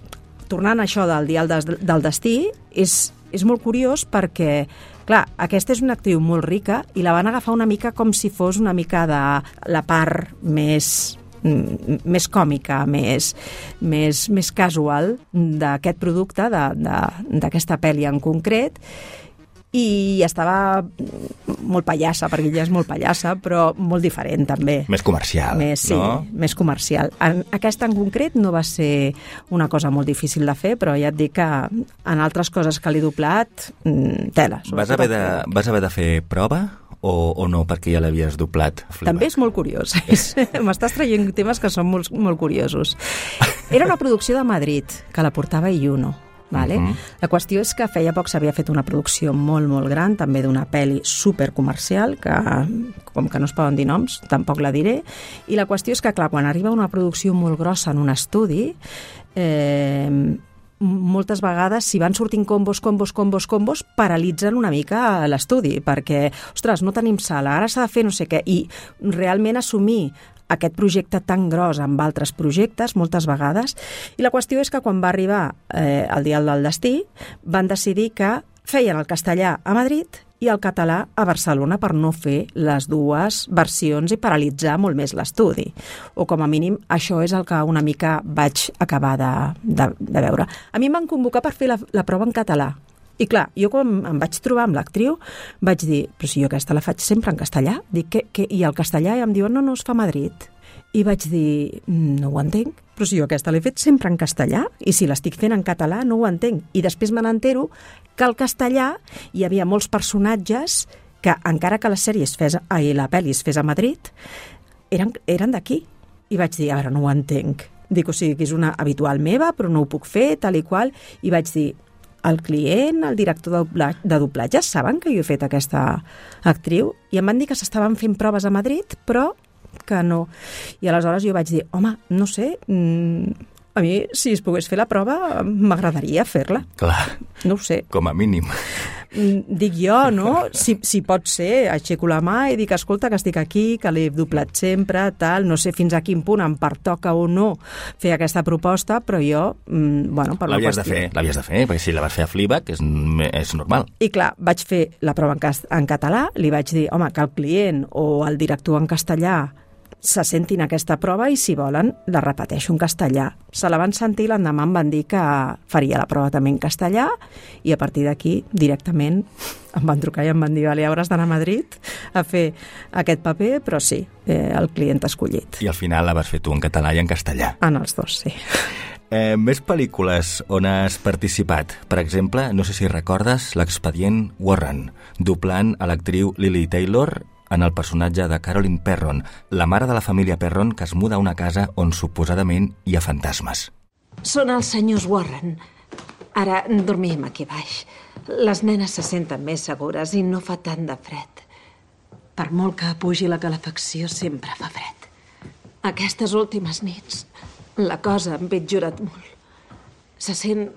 tornant a això del dial de, del destí, és, és molt curiós perquè, clar, aquesta és una actriu molt rica i la van agafar una mica com si fos una mica de la part més... més còmica, més, més, més casual d'aquest producte, d'aquesta pel·li en concret, i estava molt pallassa, perquè ella és molt pallassa, però molt diferent també. Més comercial, més, sí, no? Més comercial. En, aquesta en concret no va ser una cosa molt difícil de fer, però ja et dic que en altres coses que l'he doblat, tela. Vas haver de, vas haver de fer prova? O, o no, perquè ja l'havies doblat? Fleabag. També és molt curiós. M'estàs traient temes que són molt, molt curiosos. Era una producció de Madrid, que la portava Iuno. Vale? Uh-huh. La qüestió és que feia poc s'havia fet una producció molt, molt gran, també d'una pel·li supercomercial, que com que no es poden dir noms, tampoc la diré. I la qüestió és que, clar, quan arriba una producció molt grossa en un estudi... Eh, moltes vegades, si van sortint combos, combos, combos, combos, paralitzen una mica l'estudi, perquè, ostres, no tenim sala, ara s'ha de fer no sé què, i realment assumir aquest projecte tan gros amb altres projectes, moltes vegades, i la qüestió és que quan va arribar eh, el dial del destí, van decidir que feien el castellà a Madrid i el català a Barcelona per no fer les dues versions i paralitzar molt més l'estudi. O com a mínim això és el que una mica vaig acabar de, de, de veure. A mi em van convocar per fer la, la prova en català. I clar, jo quan em vaig trobar amb l'actriu vaig dir, però si jo aquesta la faig sempre en castellà. Dic, que, que... I el castellà i em diuen, no, no, es fa a Madrid. I vaig dir, no ho entenc. però si jo aquesta l'he fet sempre en castellà, i si l'estic fent en català no ho entenc. I després me n'entero que al castellà hi havia molts personatges que, encara que la sèrie es fes, ai, la pel·li es fes a Madrid, eren, eren d'aquí. I vaig dir, ara no ho entenc. Dic, o sigui, que és una habitual meva, però no ho puc fer, tal i qual. I vaig dir, el client, el director de doblatge, de doblatge saben que jo he fet aquesta actriu? I em van dir que s'estaven fent proves a Madrid, però que no. I aleshores jo vaig dir, home, no sé, mmm, a mi, si es pogués fer la prova, m'agradaria fer-la. Clar. No ho sé. Com a mínim. Dic jo, no? Si, si pot ser, aixeco la mà i dic, escolta, que estic aquí, que l'he doblat sempre, tal, no sé fins a quin punt em pertoca o no fer aquesta proposta, però jo, mmm, bueno, per una L'havies qüestió... de fer, l'havies de fer, perquè si la vas fer a Fleabag és, és normal. I clar, vaig fer la prova en, cas, en català, li vaig dir, home, que el client o el director en castellà se sentin aquesta prova i, si volen, la repeteixo en castellà. Se la van sentir i l'endemà em van dir que faria la prova també en castellà i a partir d'aquí, directament, em van trucar i em van dir, vale, hauràs d'anar a Madrid a fer aquest paper, però sí, eh, el client t'ha escollit. I al final la vas fer tu en català i en castellà. En els dos, sí. Eh, més pel·lícules on has participat. Per exemple, no sé si recordes l'Expedient Warren, doblant a l'actriu Lily Taylor en el personatge de Caroline Perron, la mare de la família Perron que es muda a una casa on suposadament hi ha fantasmes. Són els senyors Warren. Ara dormim aquí baix. Les nenes se senten més segures i no fa tant de fred. Per molt que pugi la calefacció, sempre fa fred. Aquestes últimes nits, la cosa ha empitjorat molt. Se sent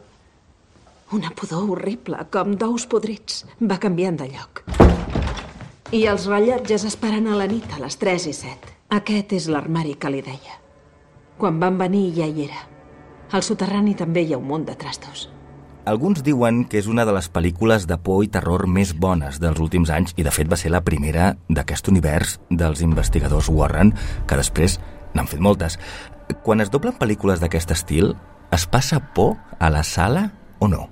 una pudor horrible, com d'ous podrits. Va canviant de lloc. I els rellotges esperen a la nit a les tres i set. Aquest és l'armari que li deia. Quan van venir ja hi era. Al soterrani també hi ha un munt de trastos. Alguns diuen que és una de les pel·lícules de por i terror més bones dels últims anys i, de fet, va ser la primera d'aquest univers dels investigadors Warren, que després n'han fet moltes. Quan es doblen pel·lícules d'aquest estil, es passa por a la sala o no?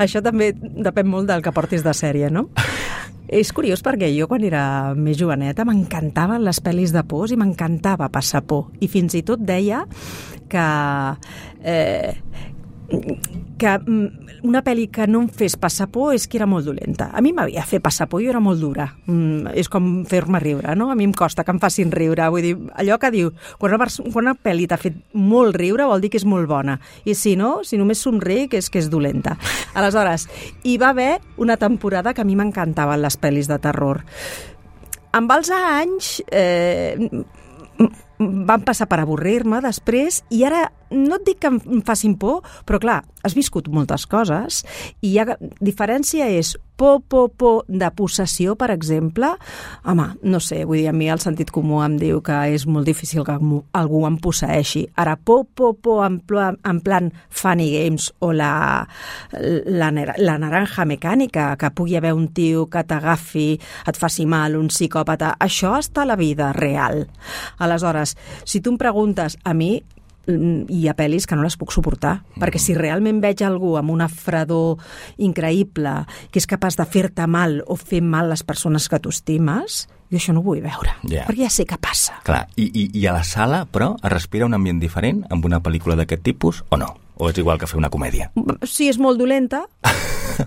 Això també depèn molt del que portis de sèrie, no? És curiós perquè jo, quan era més joveneta, m'encantaven les pel·lis de pors i m'encantava passar por. I fins i tot deia que... Eh, que una pel·li que no em fes passar por és que era molt dolenta. A mi m'havia fet passar por i jo era molt dura. Mm, és com fer-me riure, no? A mi em costa que em facin riure. Vull dir, allò que diu, quan una, quan una pel·li t'ha fet molt riure vol dir que és molt bona. I si no, si només somric és que és dolenta. Aleshores, hi va haver una temporada que a mi m'encantaven les pel·lis de terror. Amb els anys... Eh, van passar per avorrir-me després i ara no et dic que em facin por, però clar, has viscut moltes coses i la diferència és por, por, por de possessió, per exemple. Home, no sé, vull dir, a mi el sentit comú em diu que és molt difícil que algú em posseeixi. Ara, por, por, por en plan, en plan Funny Games o la, la, la naranja mecànica, que pugui haver un tio que t'agafi, et faci mal, un psicòpata, això està a la vida real. Aleshores, si tu em preguntes, a mi hi ha pel·lis que no les puc suportar, perquè si realment veig algú amb una fredor increïble que és capaç de fer-te mal o fer mal les persones que tu estimes, jo això no ho vull veure, yeah. perquè ja sé què passa. Clar, i, i, i a la sala, però, es respira un ambient diferent amb una pel·lícula d'aquest tipus o no? O és igual que fer una comèdia? Si és molt dolenta,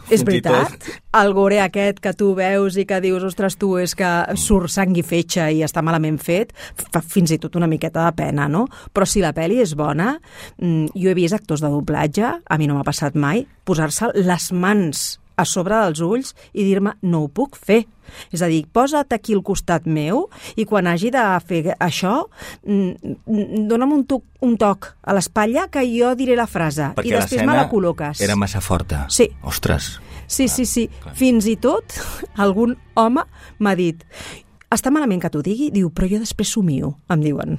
és veritat. El gore aquest que tu veus i que dius, ostres, tu, és que surt sang i fetge i està malament fet, fa fins i tot una miqueta de pena, no? Però si la pel·li és bona, jo he vist actors de doblatge, a mi no m'ha passat mai, posar-se les mans a sobre dels ulls i dir-me, no ho puc fer. És a dir, posa't aquí al costat meu i quan hagi de fer això, dona'm un toc, un toc a l'espatlla que jo diré la frase perquè i després me la col·loques. Era massa forta. Sí. Ostres. Sí, sí, sí. Clar. Fins i tot algun home m'ha dit, està malament que t'ho digui? Diu, però jo després somio, em diuen.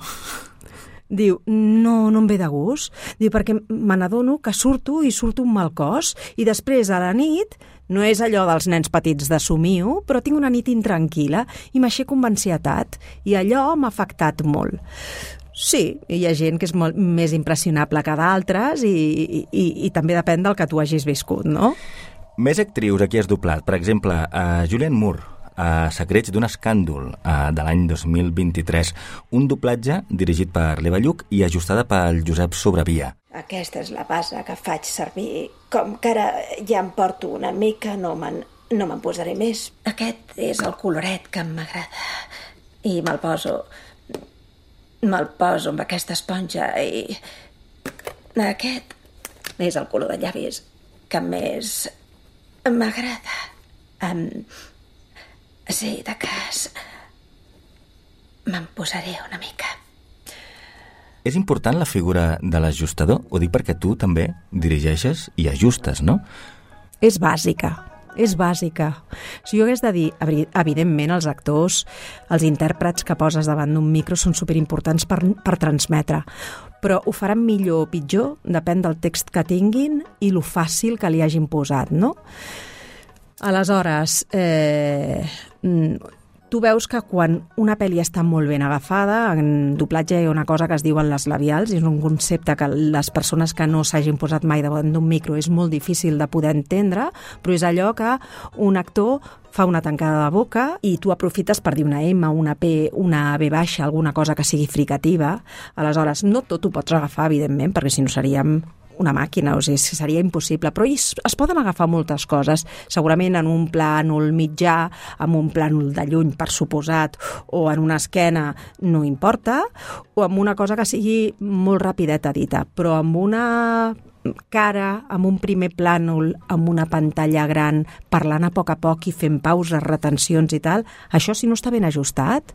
Diu, no, no em ve de gust. Diu, perquè me n'adono que surto i surto un mal cos i després a la nit no és allò dels nens petits de somio, però tinc una nit intranquil·la i m'aixeco amb ansietat i allò m'ha afectat molt. Sí, hi ha gent que és molt més impressionable que d'altres i, i, i, i també depèn del que tu hagis viscut, no? Més actrius aquí has doblat. Per exemple, a Julianne Moore, a Secrets d'un escàndol, eh, de l'any dos mil vint-i-tres, un doblatge dirigit per l'Eva Lluch i ajustada pel Josep Sobrevia. Aquesta és la base que faig servir. Com que ara ja em porto una mica, no me'n no me'n posaré més. Aquest és el coloret que m'agrada. I me'l poso... me'l poso amb aquesta esponja i... Aquest és el color de llavis que més m'agrada. Um, sí, de cas... me'n posaré una mica. És important la figura de l'ajustador? Ho dic perquè tu també dirigeixes i ajustes, no? És bàsica, és bàsica. Si jo hagués de dir, evidentment, els actors, els intèrprets que poses davant d'un micro són superimportants per, per transmetre, però ho faran millor o pitjor, depèn del text que tinguin i lo fàcil que li hagin posat, no? Aleshores, eh, tu veus que quan una pel·li està molt ben agafada, en doblatge hi ha una cosa que es diuen les labials, és un concepte que les persones que no s'hagin posat mai davant d'un micro és molt difícil de poder entendre, però és allò que un actor fa una tancada de boca i tu aprofites per dir una M, una P, una B baixa, alguna cosa que sigui fricativa. Aleshores, no tot ho pots agafar, evidentment, perquè si no seríem una màquina, o sigui, seria impossible, però es, es poden agafar moltes coses, segurament en un plànol mitjà, en un plànol de lluny, per suposat, o en una esquena, no importa, o amb una cosa que sigui molt rapideta dita, però amb una cara, amb un primer plànol, amb una pantalla gran, parlant a poc a poc i fent pauses, retencions i tal, això si no està ben ajustat,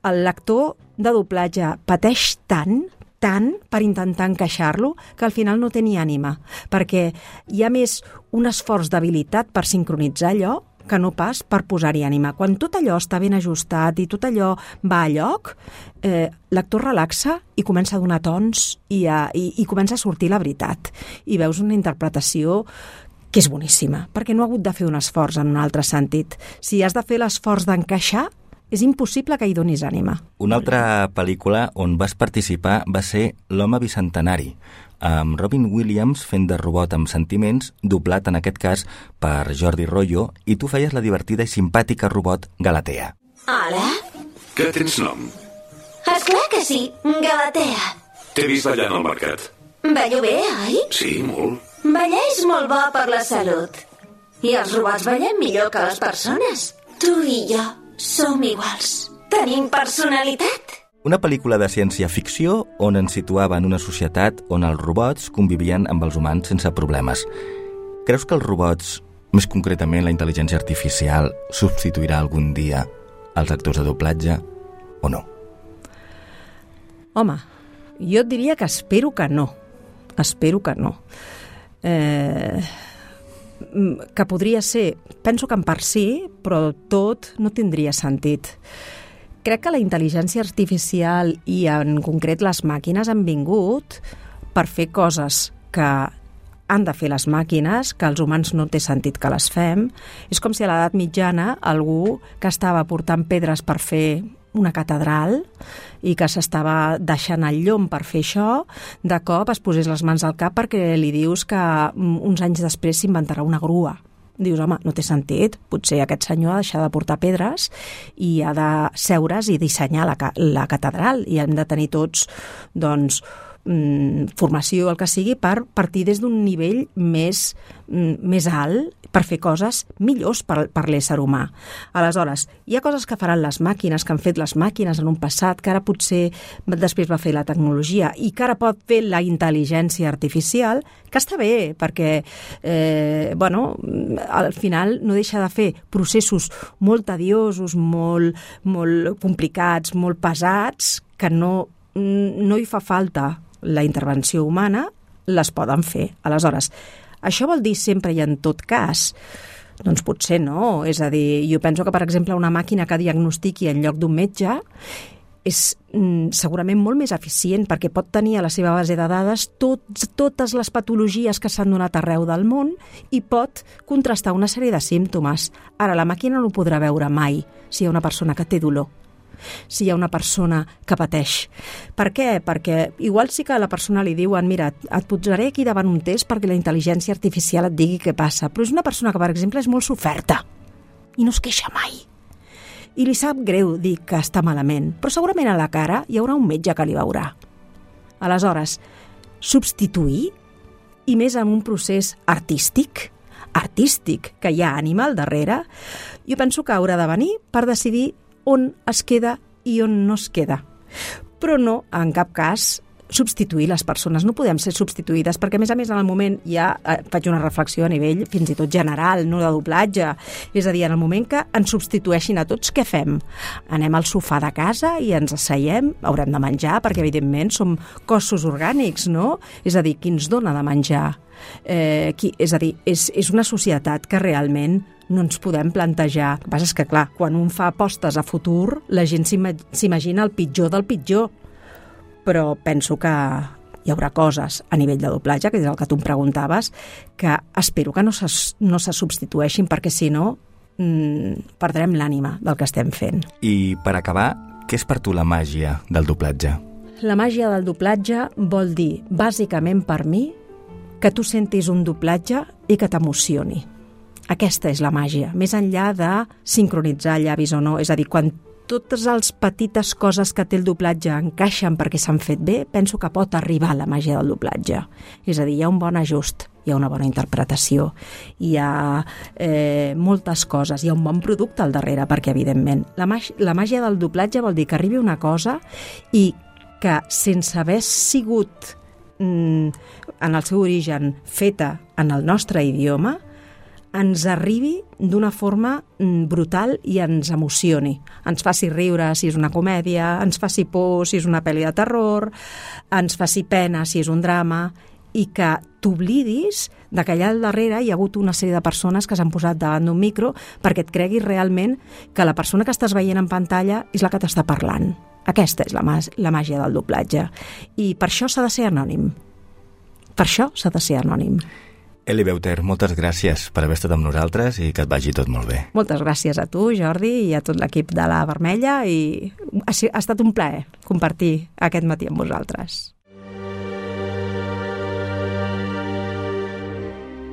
l'actor de doblatge pateix tant tant per intentar encaixar-lo que al final no té ni ànima, perquè hi ha més un esforç d'habilitat per sincronitzar allò que no pas per posar-hi ànima. Quan tot allò està ben ajustat i tot allò va a lloc, eh, l'actor relaxa i comença a donar tons i, a, i, i comença a sortir la veritat. I veus una interpretació que és boníssima, perquè no ha hagut de fer un esforç en un altre sentit. Si has de fer l'esforç d'encaixar, és impossible que hi donis ànima. Una altra pel·lícula on vas participar va ser L'home bicentenari, amb Robin Williams fent de robot amb sentiments, doblat en aquest cas per Jordi Royo, i tu feies la divertida i simpàtica robot Galatea. Hola? Que tens nom? Esclar que sí, Galatea. T'he vist ballant al mercat. Ballo bé, oi? Sí, molt. Ballar és molt bo per la salut. I els robots ballen millor que les persones. Tu i jo som iguals. Tenim personalitat. Una pel·lícula de ciència-ficció on ens situava en una societat on els robots convivien amb els humans sense problemes. Creus que els robots, més concretament la intel·ligència artificial, substituirà algun dia els actors de doblatge o no? Home, jo et diria que espero que no. Espero que no. Eh... que podria ser, penso que en part sí, però tot no tindria sentit. Crec que la intel·ligència artificial i en concret les màquines han vingut per fer coses que han de fer les màquines, que els humans no té sentit que les fem. És com si a l'edat mitjana algú que estava portant pedres per fer una catedral i que s'estava deixant el llom per fer això, de cop es posés les mans al cap perquè li dius que uns anys després s'inventarà una grua. Dius, home, no té sentit, potser aquest senyor ha de deixar de portar pedres i ha de seure's i dissenyar la, la catedral, i hem de tenir tots, doncs, formació, el que sigui, per partir des d'un nivell més, més alt, per fer coses millors per, per l'ésser humà. Aleshores, hi ha coses que faran les màquines, que han fet les màquines en un passat, que ara potser després va fer la tecnologia i que ara pot fer la intel·ligència artificial, que està bé, perquè eh, bueno, al final no deixa de fer processos molt tediosos, molt, molt complicats, molt pesats, que no, no hi fa falta la intervenció humana, les poden fer. Aleshores, això vol dir sempre i en tot cas? Doncs potser no. És a dir, jo penso que, per exemple, una màquina que diagnostiqui en lloc d'un metge és mm, segurament molt més eficient perquè pot tenir a la seva base de dades tots, totes les patologies que s'han donat arreu del món i pot contrastar una sèrie de símptomes. Ara, la màquina no podrà veure mai si hi ha una persona que té dolor, si hi ha una persona que pateix. Per què? Perquè igual sí que a la persona li diuen, mira, et posaré aquí davant un test perquè la intel·ligència artificial et digui què passa, però és una persona que, per exemple, és molt soferta i no es queixa mai. I li sap greu dir que està malament, però segurament a la cara hi haurà un metge que li veurà. Aleshores, substituir, i més en un procés artístic, artístic, que hi ha ànima al darrere, jo penso que haurà de venir per decidir on es queda i on no es queda. Però no, en cap cas, substituir les persones. No podem ser substituïdes, perquè a més a més en el moment ja eh, faig una reflexió a nivell fins i tot general, no de doblatge. És a dir, en el moment que ens substitueixin a tots, què fem? Anem al sofà de casa i ens asseiem, haurem de menjar, perquè evidentment som cossos orgànics, no? És a dir, qui ens dona de menjar? Eh, qui, és a dir, és, és una societat que realment no ens podem plantejar. El que passa és que, clar, quan un fa apostes a futur, la gent s'imagina el pitjor del pitjor. Però penso que hi haurà coses a nivell de doblatge, que és el que tu em preguntaves, que espero que no se, no se substitueixin, perquè si no mmm, perdrem l'ànima del que estem fent. I per acabar, què és per tu la màgia del doblatge? La màgia del doblatge vol dir, bàsicament per mi, que tu sentis un doblatge i que t'emocioni. Aquesta és la màgia, més enllà de sincronitzar llavis o no. És a dir, quan totes les petites coses que té el doblatge encaixen perquè s'han fet bé, penso que pot arribar la màgia del doblatge. És a dir, hi ha un bon ajust, hi ha una bona interpretació, hi ha eh, moltes coses, hi ha un bon producte al darrere, perquè evidentment la, màgia, la màgia del doblatge vol dir que arribi una cosa i que sense haver sigut mm, en el seu origen feta en el nostre idioma, ens arribi d'una forma brutal i ens emocioni. Ens faci riure si és una comèdia, ens faci por si és una pel·li de terror, ens faci pena si és un drama, i que t'oblidis de que allà al darrere hi ha hagut una sèrie de persones que s'han posat davant d'un micro perquè et creguis realment que la persona que estàs veient en pantalla és la que t'està parlant. Aquesta és la, la màgia del doblatge. I per això s'ha de ser anònim. Per això s'ha de ser anònim. Eli Beuter, moltes gràcies per haver estat amb nosaltres i que et vagi tot molt bé. Moltes gràcies a tu, Jordi, i a tot l'equip de La Vermella, i ha, ha estat un plaer compartir aquest matí amb vosaltres.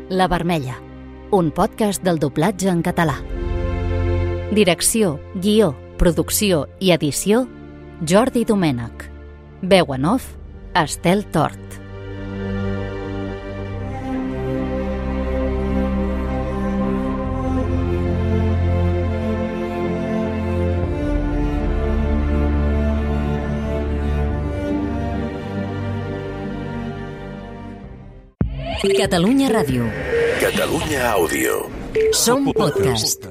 La Vermella, un podcast del doblatge en català. Direcció, guió, producció i edició, Jordi Domènech. Veu en off, Estel Tort. Catalunya Ràdio. Catalunya Àudio. Som podcast.